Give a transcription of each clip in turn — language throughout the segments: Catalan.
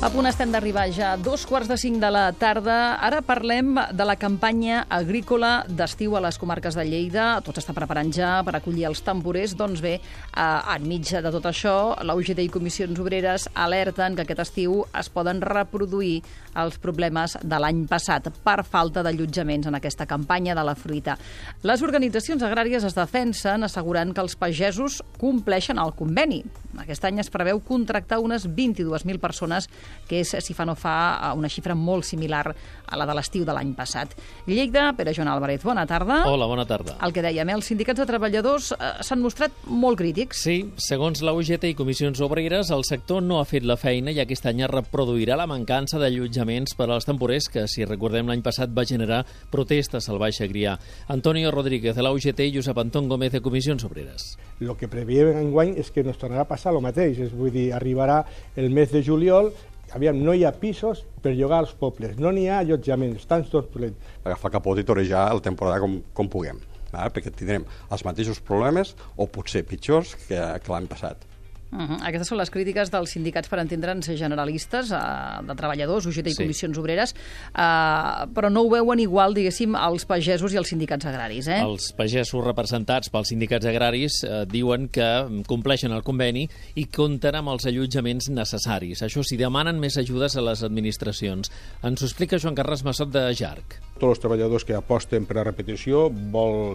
A punt estem d'arribar ja a 2:45 de la tarda. Ara parlem de la campanya agrícola d'estiu a les comarques de Lleida. Tot s'està preparant ja per acollir els temporers. Doncs bé, enmig de tot això, la UGT i Comissions Obreres alerten que aquest estiu es poden reproduir els problemes de l'any passat per falta d'allotjaments en aquesta campanya de la fruita. Les organitzacions agràries es defensen assegurant que els pagesos compleixen el conveni. Aquest any es preveu contractar unes 22.000 persones, que és, si fa no fa, una xifra molt similar a la de l'estiu de l'any passat. Lleida, Pere Joan Álvarez, bona tarda. Hola, bona tarda. El que dèiem, els sindicats de treballadors s'han mostrat molt crítics. Sí, segons la UGT i Comissions Obreres, el sector no ha fet la feina i aquest any es reproduirà la mancança d'allotjaments per als temporers que, si recordem, l'any passat va generar protestes al Baix Agrià. Antonio Rodríguez, de la UGT, i Josep Anton Gómez, de Comissions Obreres. El que preveiem enguany és que ens tornarà a passar el mateix, vull dir, arribarà el mes de juliol. Aviam, no hi ha pisos per llogar als pobles, no n'hi ha allotjaments, estan tots plens. Agafar capot i torejar la temporada com puguem, perquè tindrem els mateixos problemes o potser pitjors que l'any passat. Aquestes són les crítiques dels sindicats, per entendre'ns, generalistes, de treballadors, UGT i Comissions Obreres, però no ho veuen igual, diguéssim, els pagesos i els sindicats agraris. Els pagesos representats pels sindicats agraris diuen que compleixen el conveni i compten amb els allotjaments necessaris. Això sí, demanen més ajudes a les administracions. Ens ho explica Joan Carles Massot, de JARC. Tots els treballadors que aposten per a repetició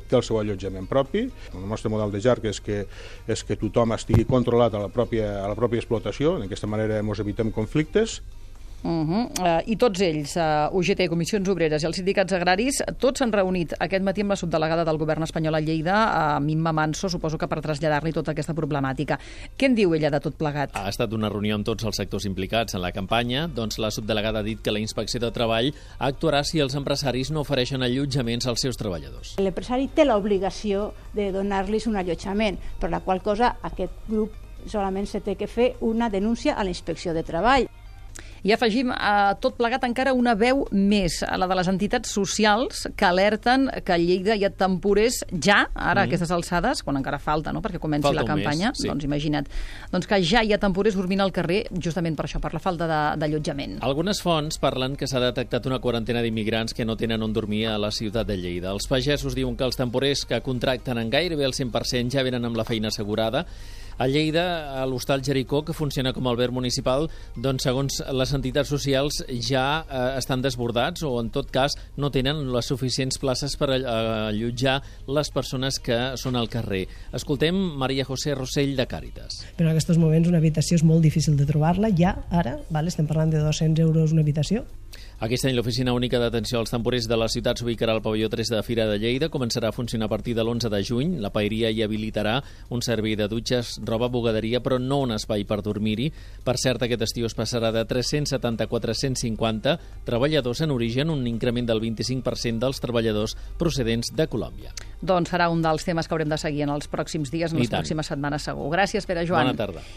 té el seu allotjament propi. El nostre model de JARC és que tothom estigui controlat a la pròpia explotació. D'aquesta manera ens evitem conflictes. I tots ells, UGT, Comissions Obreres i els sindicats agraris, tots s'han reunit aquest matí amb la subdelegada del govern espanyol a Lleida, Mimma Manso, suposo que per traslladar-li tota aquesta problemàtica. Què en diu ella de tot plegat? Ha estat una reunió amb tots els sectors implicats en la campanya. Doncs la subdelegada ha dit que la Inspecció de Treball actuarà si els empresaris no ofereixen allotjaments als seus treballadors. L'empresari té l'obligació de donar-los un allotjament, per la qual cosa aquest grup solament se té que fer una denúncia a la Inspecció de Treball. I afegim a tot plegat encara una veu més, la de les entitats socials que alerten que a Lleida hi ha temporers ja, ara a aquestes alçades, quan encara falta, no?, perquè comenci la campanya, mes, sí. Doncs imagina't, doncs que ja hi ha temporers dormint al carrer justament per això, per la falta d'allotjament. Algunes fonts parlen que s'ha detectat una quarantena d'immigrants que no tenen on dormir a la ciutat de Lleida. Els pagesos diuen que els temporers que contracten en gairebé el 100% ja venen amb la feina assegurada. A Lleida, a l'Hostal Jericó, que funciona com a alberg municipal, doncs, segons les entitats socials, ja estan desbordats o, en tot cas, no tenen les suficients places per allotjar les persones que són al carrer. Escoltem Maria José Rossell, de Càritas. Però en aquests moments una habitació és molt difícil de trobar-la, ja, ara, estem parlant de 200 euros una habitació. Aquest any l'Oficina Única d'Atenció als Temporers de la ciutat s'ubicarà al pavelló 3 de Fira de Lleida. Començarà a funcionar a partir de l'11 de juny. La paeria hi habilitarà un servei de dutxes, roba, bugaderia, però no un espai per dormir-hi. Per cert, aquest estiu es passarà de 370 a 450 treballadors en origen, un increment del 25% dels treballadors procedents de Colòmbia. Doncs serà un dels temes que haurem de seguir en els pròxims dies, en les pròximes setmanes segur. Gràcies, Pere Joan. Bona tarda.